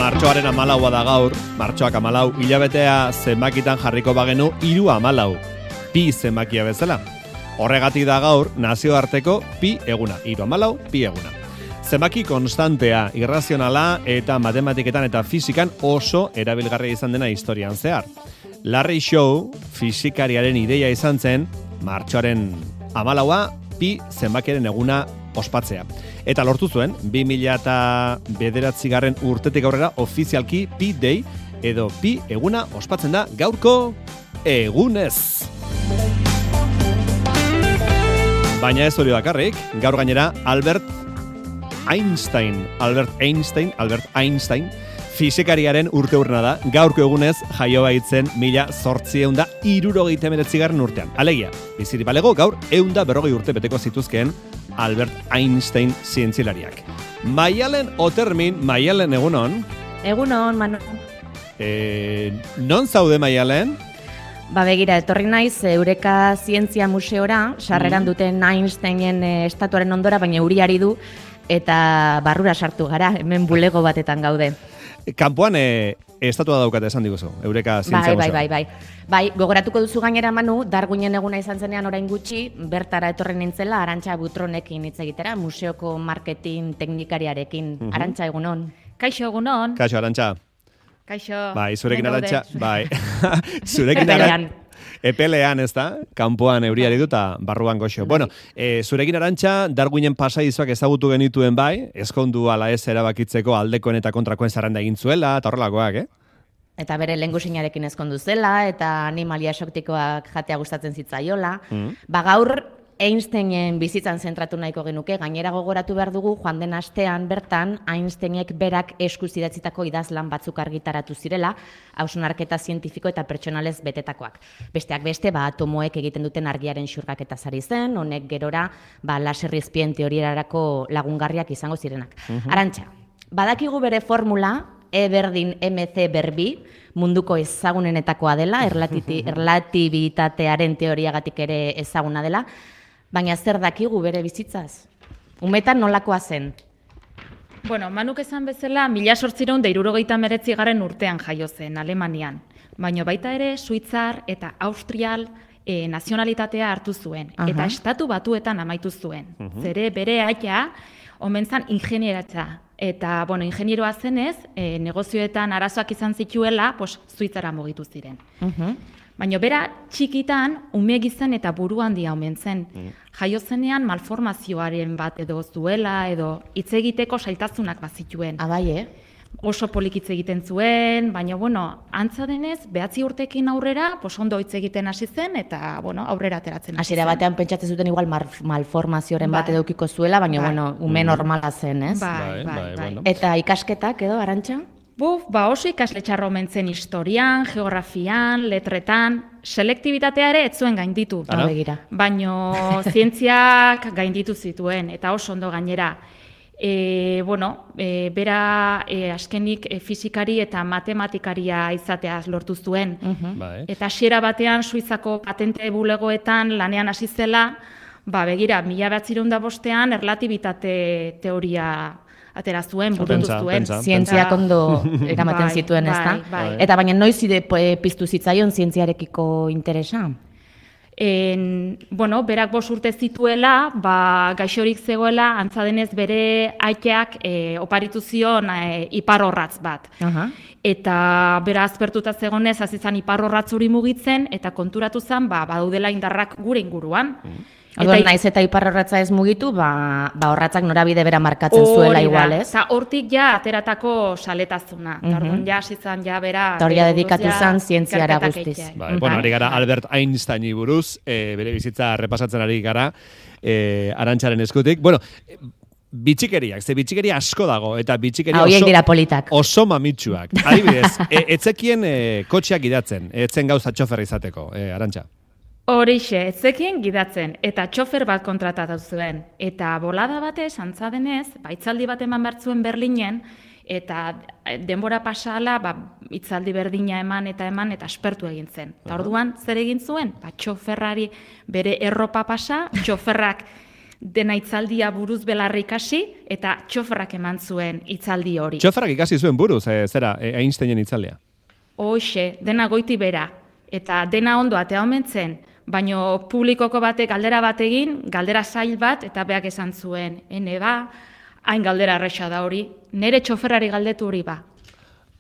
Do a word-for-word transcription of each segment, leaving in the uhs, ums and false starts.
Martxoaren amalaua da gaur, martxoak amalau, hilabetea zenbakitan jarriko bagenu hiru amalau, pi zenbakia bezala. Horregatik da gaur, nazioarteko pi eguna, hiru amalau, pi eguna. Zenbaki konstantea, irrazionala eta matematiketan eta fizikan oso erabilgarria izan dena historian zehar. Larry Shaw, fizikariaren ideia izan zen, martxoaren amalaua, pi zenbakiaren eguna ospatzea. Eta lortu zuen, bi mila bederatzigarren urtetik aurrera ofizialki Pi Day edo pi eguna ospatzen da gaurko egunez. Baina ez hori bakarrik, gaur gainera Albert Einstein, Albert Einstein, Albert Einstein, fizikariaren urteurrena da, gaurko egunez jaio baitzen mila zortziehun da hirurogeita hemeretzigarren urtean. Alegia, bizirik balego gaur ehun da berrogei urte beteko zituzkeen Albert Einstein zientzilariak. Maialen Otermin, Maialen egunon. Egunon, Manu. E, non zaude Maialen? Ba begira, etorri naiz Eureka Zientzia Museora, sarreran duten Einsteinen estatuaren ondora, baina euriari du, eta barrura sartu gara, hemen bulego batetan gaude. Kanpoan e, estatua daukate esan diguzu, Eureka Zientzia bai, Museoa. Bai, bai, bai. Bai, gogoratuko duzu gainera Manu, Darwinen eguna izan zenean orain gutxi, bertara etorri nintzela Arantxa Butronekin hitz egitera, museoko marketing teknikariarekin. Uh-huh. Arantxa egunon. Kaixo egunon. Kaixo Arantxa. Kaixo. Bai, zurekin Arantxa, bai. Zurekin Arantxa. Epelean, ez da? Kanpoan euriari du eta barruan goxo. Bueno, e, zurekin Arantxa, Darwinen pasadizoak ezagutu genituen bai, ezkondu ala ez erabakitzeko aldekoen eta kontrakoen zerrenda egin zuela, eta horrelakoak, eh? Eta bere lehengusinarekin ezkondu zela, eta animalia esoktikoak jatea gustatzen zitzaiola. Mm. Ba gaur, Einsteinen bizitzan zentratu nahiko genuke, gainera gogoratu behar dugu, joan den astean bertan, Einsteinek berak eskuz idatzitako idazlan batzuk argitaratu zirela, hausnarketa zientifiko eta pertsonalez betetakoak. Besteak beste, ba, atomoek egiten duten argiaren xurgaketa sari zen, honek gerora, ba, laserrizpien teoriarako lagungarriak izango zirenak. Uh-huh. Arantxa, badakigu bere formula, E berdin M C berbi, munduko ezagunenetakoa dela, erlatibitatearen teoriagatik ere ezaguna dela, baina zer dakigu bere bizitzaz? Umetan nolakoa zen? Bueno, Manuk esan bezala, mila zortziehun eta hirurogeita hemeretzigarren urtean jaio zen, Alemanian. Baina baita ere, Suitzar eta Austrial e, nazionalitatea hartu zuen. Aha. Eta estatu batuetan amaitu zuen. Uh-huh. Zere bere aita, omen zan ingenieratza. Eta, bueno, ingenieroa zenez, e, negozioetan arazoak izan zituela, pues, Suitzara mugitu ziren. Uh-huh. Baina bera txikitan, ume gizan eta buru handia omen zen. Uh-huh. Jaio zenean malformazioaren bat edo zuela, edo hitz egiteko zailtasunak bazituen. Abai, eh? Oso polikitz egiten zuen, baina, bueno, antza denez, behatzi urtekin aurrera, pues, ondo hitz egiten hasi zen, eta, bueno, aurrera ateratzen hasi zen. Hasiera batean pentsatzen zuten igual malformazioaren bat edukiko zuela, baina, bai. Bueno, ume normala zen, ez? Bai, bai, bai. bai. Bueno. Eta ikasketak edo, Arantxa? Buf, ba oso ikasle txarro omen zen historian, geografian, letretan, selektibitatea ere ez zuen gainditu. Baina zientziak gainditu zituen, eta oso ondo gainera. E, bueno, e, bera e, askenik e, fizikari eta matematikaria izateaz lortu zuen. Uh-huh. Eta hasiera batean Suizako patente bulegoetan lanean hasi zela, ba, begira, mila bederatziehun eta bostean erlatibitate teoria atera zuen, burutu zuen. Zientziak ondo eramaten bai, zituen, ez da? Bai, bai. Eta baina noiz ide piztu zitzaion zientziarekiko interesa? En, bueno, berak bost urte zituela, ba, gaixorik zegoela, antza denez bere aiteak e, oparitu zion e, iparorratz bat. Uh-huh. Eta bera azpertuta zegonez, hasi zen iparorratz hori mugitzen, eta konturatu zen, ba, badaudela indarrak gure inguruan. Uh-huh. Orduan, naiz eta iparrorratza ez mugitu, ba, ba horratzak norabide bera markatzen zuela igual, ez? Eta hortik ja ateratako saletazuna. Mm -hmm. Orduan ja hasitzen ja bera... Eta hori ja dedikatu zen zientziara guztiz. Bai, bueno, ari gara Albert Einsteini buruz, e, bere bizitza repasatzen ari gara, e, Arantxaren eskutik. Bueno, bitxikeriak, ze bitxikeria asko dago, eta bitxikeria oso, dira politak. Oso mamitsuak. Adibidez, e, etzekien e, kotxeak gidatzen, etzen gauza txofer izateko, e, Arantxa. Horixe, etzekien gidatzen, eta txofer bat kontratatu zuen. Eta bolada batez, antza denez, ba, hitzaldi bat eman bertzuen Berlinen, eta denbora pasala, ba, hitzaldi berdina eman eta eman, eta aspertu egin zen. Eta orduan, zer egin zuen? Ba, txoferrari bere erropa pasa, txoferrak dena hitzaldia buruz belarri ikasi, eta txoferrak eman zuen hitzaldi hori. Txoferrak ikasi zuen buruz, e, zera, e, Einsteinen hitzaldia? Hoxe, dena goiti bera, eta dena ondo atea omen zen, baino publikoko batek galdera bat egin, galdera zail bat, eta beak esan zuen, ene ba, hain galdera erresa da hori, nire txoferrari galdetu hori ba.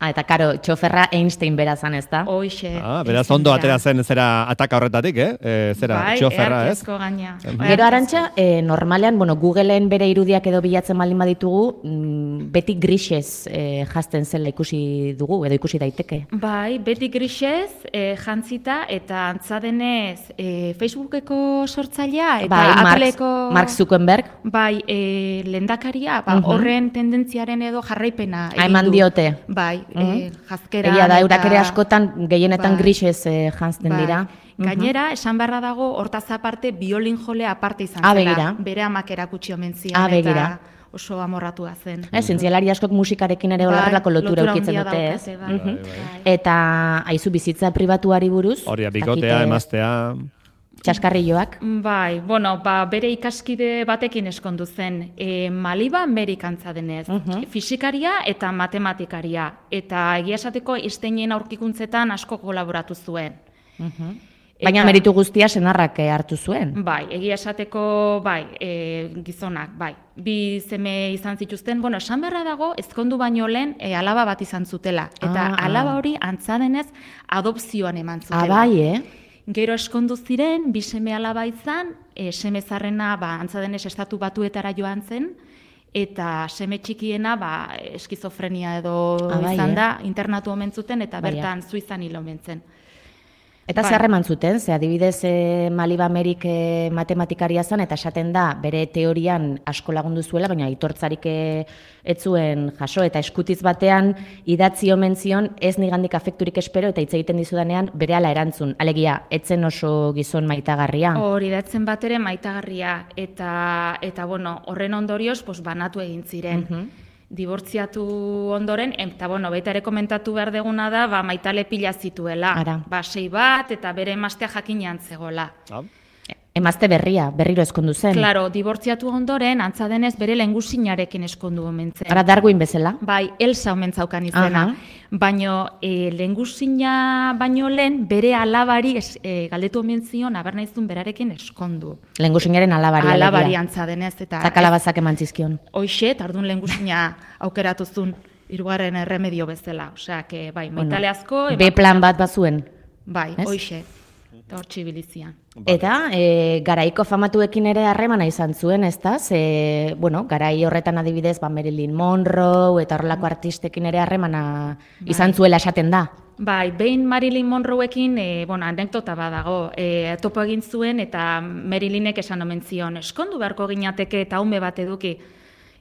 Ah, eta karo, txoferra Einstein bera zan, ez da? Hoxe. Ah, beraz ondo atera zen zera ataka horretatik, eh? E, zera, bai, txoferra, ez? Bai, gaina. Gero Arantxa, e, normalean, bueno, Googleen bere irudiak edo bilatzen baldin baditugu, mm, beti grisez e, jazten zela ikusi dugu, edo ikusi daiteke. Bai, beti grisez e, jantzita, eta antzadenez e, Facebookeko sortzailea, eta bai, Appleko... Mark Zuckerberg. Bai, e, lendakaria, ba, uh -huh. horren tendentziaren edo jarraipena egin du. Eman diote. Bai, E, jazkera... Egia da, eurak ere askotan, gehienetan bai, grisez eh, jantzten bai, dira. Gainera, esan beharra dago, hortaz aparte, biolin jolea aparte izan ah, zela. Begira. Bere amak erakutsi omen zian, ah, eta oso amorratua zen. Eh, zientzialari askok musikarekin ere horrelako bai, lotura eukitzen dute, ez? Bai. Bai, bai, bai. Eta, haizu bizitza pribatuari buruz? Hori, bikotea, emaztea... Txaskarrilloak? Bai, bueno, ba, bere ikaskide batekin eskondu zen. E, Maliba Amerikantza denez, uh -huh. fisikaria eta matematikaria. Eta egia esateko Einsteinen aurkikuntzetan asko kolaboratu zuen. Uh -huh. Baina meritu guztia senarrak hartu zuen. Bai, egia esateko, bai, e, gizonak, bai. Bi seme izan zituzten, bueno, esan beharra dago, ezkondu baino lehen e, alaba bat izan zutela. Eta ah, alaba hori antza denez adopzioan eman zutela. Ah, bai, eh? Gero eskondu ziren, bi seme alaba izan, e, seme zarrena, ba, antza denez estatu batuetara joan zen, eta seme txikiena, ba, eskizofrenia edo ah, bai, izan da, eh? internatu omen zuten, eta bertan Suizan hil omen zen. Eta zer eman zuten, ze adibidez e, Maliba Amerik e, matematikaria zen, eta esaten da, bere teorian asko lagundu zuela, baina aitortzarik e, ez zuen jaso, eta eskutiz batean idatzi omen zion, ez nigandik afekturik espero, eta hitz egiten dizudanean bere ala erantzun. Alegia, etzen oso gizon maitagarria. Hori, idatzen bat ere maitagarria, eta, eta bueno, horren ondorioz, pues, banatu egin ziren. Uh -huh. Dibortziatu ondoren, eta bueno, baita ere komentatu behar deguna da, ba, maitale pila zituela. Ara. Ba, sei bat, eta bere emaztea jakinean zegoela. Ah. Emazte berria, berriro eskondu zen. Claro, dibortziatu ondoren, antza denez bere lehengusinarekin eskondu omen zen. Ara, Darwin bezala? Bai, Elsa omen zaukan izena. Uh -huh. Baino, e, lehengusina baino lehen, bere alabari es, e, galdetu omen zion, aber nahizun berarekin eskondu. Lehengusinaren alabari. Alabari antza denez. Eta zakalabazak eman zizkion. Hoxe, eta orduan lehengusina aukeratuzun hirugarren erremedio bezala. Osea, que, bai, maitale asko... Bueno, B plan bat bazuen. Bai, hoxe. Eta hor txibilizian. Eta e, garaiko famatuekin ere harremana izan zuen, ez da? Ze, bueno, garai horretan adibidez, ba, Marilyn Monroe eta horrelako artistekin ere harremana bai, izan zuela esaten da. Bai, behin Marilyn Monroeekin, e, bueno, anekdota badago, e, topo egin zuen eta Marilynek esan omen zion, eskondu beharko ginateke eta ume bat eduki.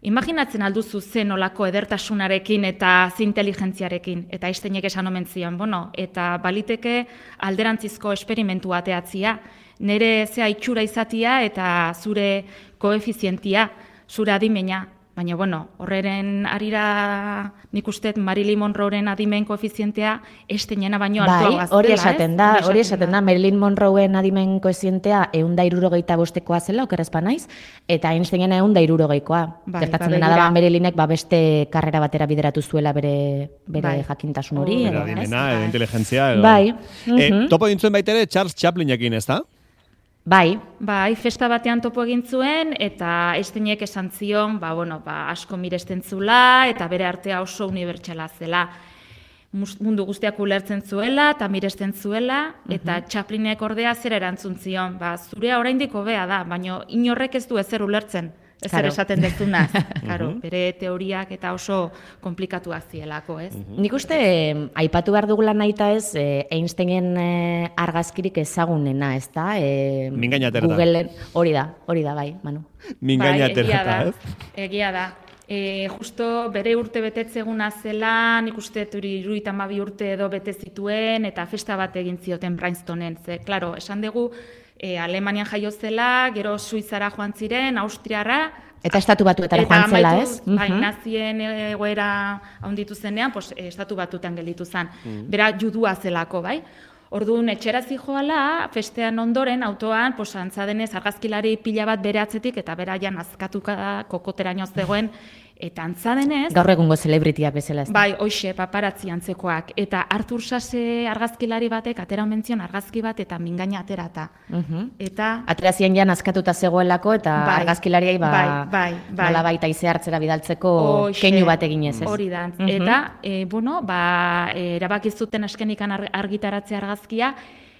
Imaginatzen alduzu zen olako edertasunarekin eta zinteligentziarekin, eta Einsteinek esan omen zion, bueno, eta baliteke alderantzizko esperimentu ateatzia, nire zea itxura izatia eta zure koefizientia, zure adimena. Baina, bueno, horreren arira nik uste Marilyn Monroeren adimen koefizientea Einsteinena baino altua gaztela, ez? Hori esaten da, hori esaten da, Marilyn Monroen adimen koefizientea ehun eta hirurogeita bostekoa zela, okerrezpa naiz, eta Einsteinena ehun eta hirurogeikoa. Gertatzen dena da, Marilynek beste karrera batera bideratu zuela bere jakintasun hori. Bere adimena, edo inteligentzia. Bai. Topo dintzuen baitere Charles Chaplinekin, ez da? Bai. Bai, festa batean topo egin zuen, eta Einsteinek esan zion, ba, bueno, ba, asko miresten zula, eta bere artea oso unibertsala zela. mundu guztiak ulertzen zuela, eta miresten zuela, eta Chaplinek ordea zer erantzun zion. Ba, zurea oraindik hobea da, baina inorrek ez du ezer ulertzen. Ez ere esaten dezunaz, claro, bere teoriak eta oso komplikatuak zielako, ez? Nik uste, aipatu behar dugula nahita ez, Einsteinen argazkirik ezagunena, ez da? Mingainaterata. Googleen, hori da, hori da, bai, Manu. Mingainaterata, ez? Egia da. E, justo bere urte betetzeguna zela, nik uste hirurogeita hamabi urte edo bete zituen, eta festa bat egin zioten Princetonen. Ze, klaro, esan dugu, e, Alemanian jaio zela, gero Suizara joan ziren, Austriara. Eta estatu batuetara joan zela, ez? Bai, nazien egoera handitu zenean, pues, estatu batuetan gelditu zen. Bera judua zelako, bai? Orduan, etxera zijoala, festean ondoren, autoan, pues, antzadenez, argazkilari pila bat bere atzetik, eta bera ja nazkatuka kokoteraino zegoen, eta antzadenez... Gaur egungo celebrityak bezala ez da. Bai, hoxe, paparazzi antzekoak. Eta Artur Sase argazkilari batek, atera menzion argazki bat, eta mingaina aterata. Eta... Aterazien ja nazkatuta zegoelako, eta argazkilariai ba... Bai, bai, nola baita ize hartzera bidaltzeko keinu bat eginez, ez? Hori da. Eta, bueno, ba, erabaki zuten askenikan argitaratzea argazkia,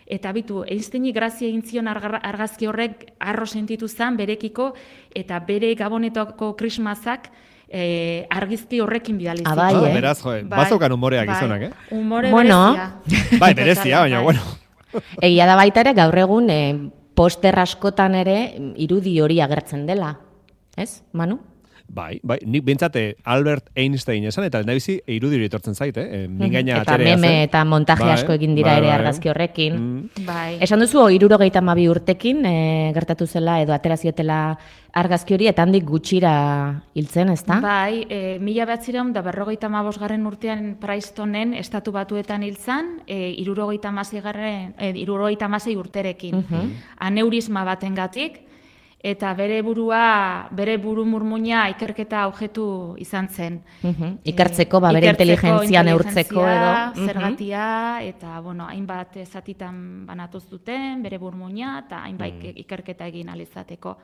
eta bitu, Einsteini grazia egin zion argazki horrek arro sentitu zen berekiko, eta bere Gabonetako krismazak Eh, argizki horrekin bidali ziren. Ah, bai, eh? Beraz, jo, bazokan humoreak gizonak, eh? Humore bueno, berezia. Bai, berezia, baina, bueno. Egia da baita ere, gaur egun, eh, poster askotan ere, irudi hori agertzen dela. Ez, Manu? Bai, bai, nik bintzate Albert Einstein esan, eta lehendabizi irudi hori etortzen zait, eh? Mingaina eta aterea zen. meme eta montaje bai, asko egin dira bai, ere bai. argazki horrekin. Mm. Bai. Esan duzu, hirurogeita hamabi urtekin e, gertatu zela edo ateraziotela argazki hori, eta handik gutxira hiltzen, ez da? Bai, e, mila behatzireun da berrogeita hamabosgarren urtean Princetonen estatu batuetan hiltzan, e, hirurogeita hamasei garren, e, hirurogeita hamasei urterekin. Aneurisma batengatik, eta bere burua, bere buru murmuina ikerketa objektu izan zen. Ikertzeko, ba, bere inteligentzia neurtzeko edo. Zergatia, eta, bueno, hainbat zatitan banatuz duten, bere burmuina, eta hainbat ikerketa egin alizateko.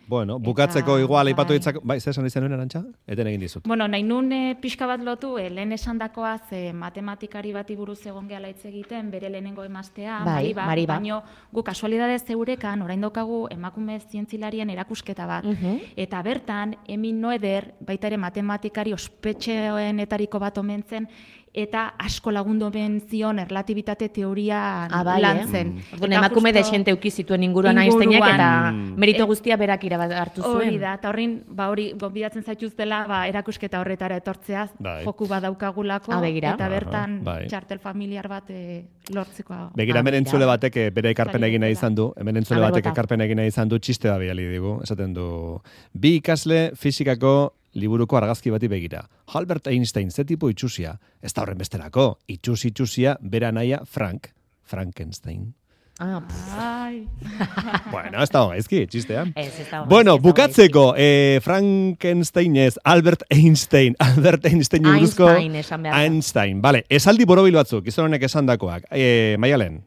Bueno, bukatzeko Eta, igual aipatu bai. ditzako, bai, zer esan izan nuen Arantxa? Eten egin dizut. Bueno, nahi nun e, pixka bat lotu, e, lehen esandakoa ze matematikari bati buruz egon gehala hitz egiten, bere lehenengo emaztea, Bai, Mariba, Mariba. baino gu kasualidadez zeurekan, orain daukagu emakume zientzilarien erakusketa bat. Eta bertan, Emil Noether, baita ere matematikari ospetxeenetariko bat omen zen, eta asko lagundu omen zion erlatibitate teorian Ah, bai, lan eh? zen. Orduan, Eta emakume justo- desente uki zituen inguruan Inguruan. Einsteinek, eta Mm. merito guztia berak irabat hartu zuen. Hori da, eta horrin, ba hori, gonbidatzen zaituztela, ba, erakusketa horretara etortzeaz, Bai. joku badaukagulako, Ah, begira. eta bertan Aha, bai. txartel familiar bat e, lortzeko. Begira, Ah, hemen begira. entzule batek eh, bere ekarpen egin nahi izan du, hemen entzule A ber, batek bota. ekarpen egin nahi izan du, txiste da bidali digu, esaten du, bi ikasle fisikako liburuko argazki bati begira. Albert Einstein, ze tipo itxusia? Ez da horren besterako, itxusi itxusia bera naia Frank, Frankenstein. Ah, pff, Ai. Bueno, ez da gaizki, txistea. ez, ez da gaizki, Bueno, ez da bukatzeko, eh, Frankenstein ez, Albert Einstein, Albert Einstein buruzko... Einstein esan behar da. Einstein, vale, esaldi borobil batzuk, izan honek esandakoak. Eh, Maialen,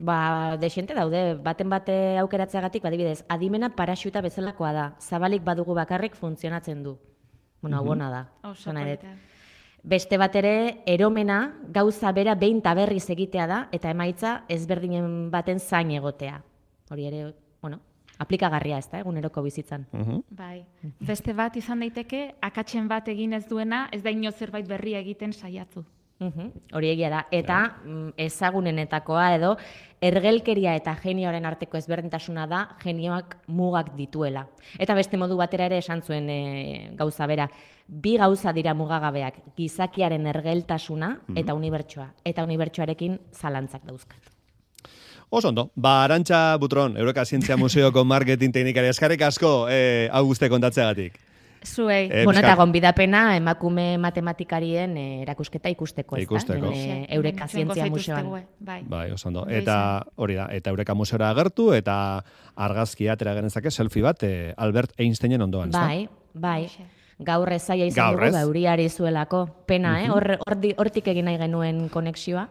Ba, desente daude, baten bate aukeratzeagatik, badibidez, adimena paraxuta bezalakoa da, zabalik badugu bakarrik funtzionatzen du. Bueno, hau ona da. Oso esan nahi dut. polita. Beste bat ere, eromena gauza bera behin eta berriz egitea da, eta emaitza ezberdinen baten zain egotea. Hori ere, bueno, aplikagarria ez da, eguneroko bizitzan. Bai. Beste bat izan daiteke, akatsen bat egin ez duena, ez da ino zerbait berria egiten saiatu. Mhm, hori egia da. Eta mm, ezagunenetakoa edo, ergelkeria eta genioaren arteko ezberdintasuna da, genioak mugak dituela. Eta beste modu batera ere esan zuen e, gauza bera, bi gauza dira mugagabeak, gizakiaren ergeltasuna eta unibertsoa. Eta unibertsoarekin zalantzak dauzkat. oso ondo, ba, Arantxa Butron, Eureka Zientzia Museoko marketing teknikari eskarek asko, eh, hau guzti kontatzeagatik. Zuei. Eh, Bueno, eta bizka- gonbidapena emakume matematikarien eh, erakusketa ikusteko, ez Ikusteko. da? Eh, Eureka Zientzia Museoan. Bai. Bai, oso ondo. Ondo Eta hori da, eta Eureka Museora agertu, eta argazkia atera genezake selfie bat eh, Albert Einsteinen ondoan, ezta? Bai, bai. Hoxe. Gaur ez zaila izan Gaur ez. dugu, euriari zuelako. Pena, eh? Hor, hordi- hortik egin nahi genuen konexioa,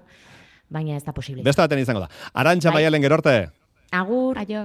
baina ez da posible. Beste baten izango da. Arantxa Bai. Maialen gero arte. Agur. Aio.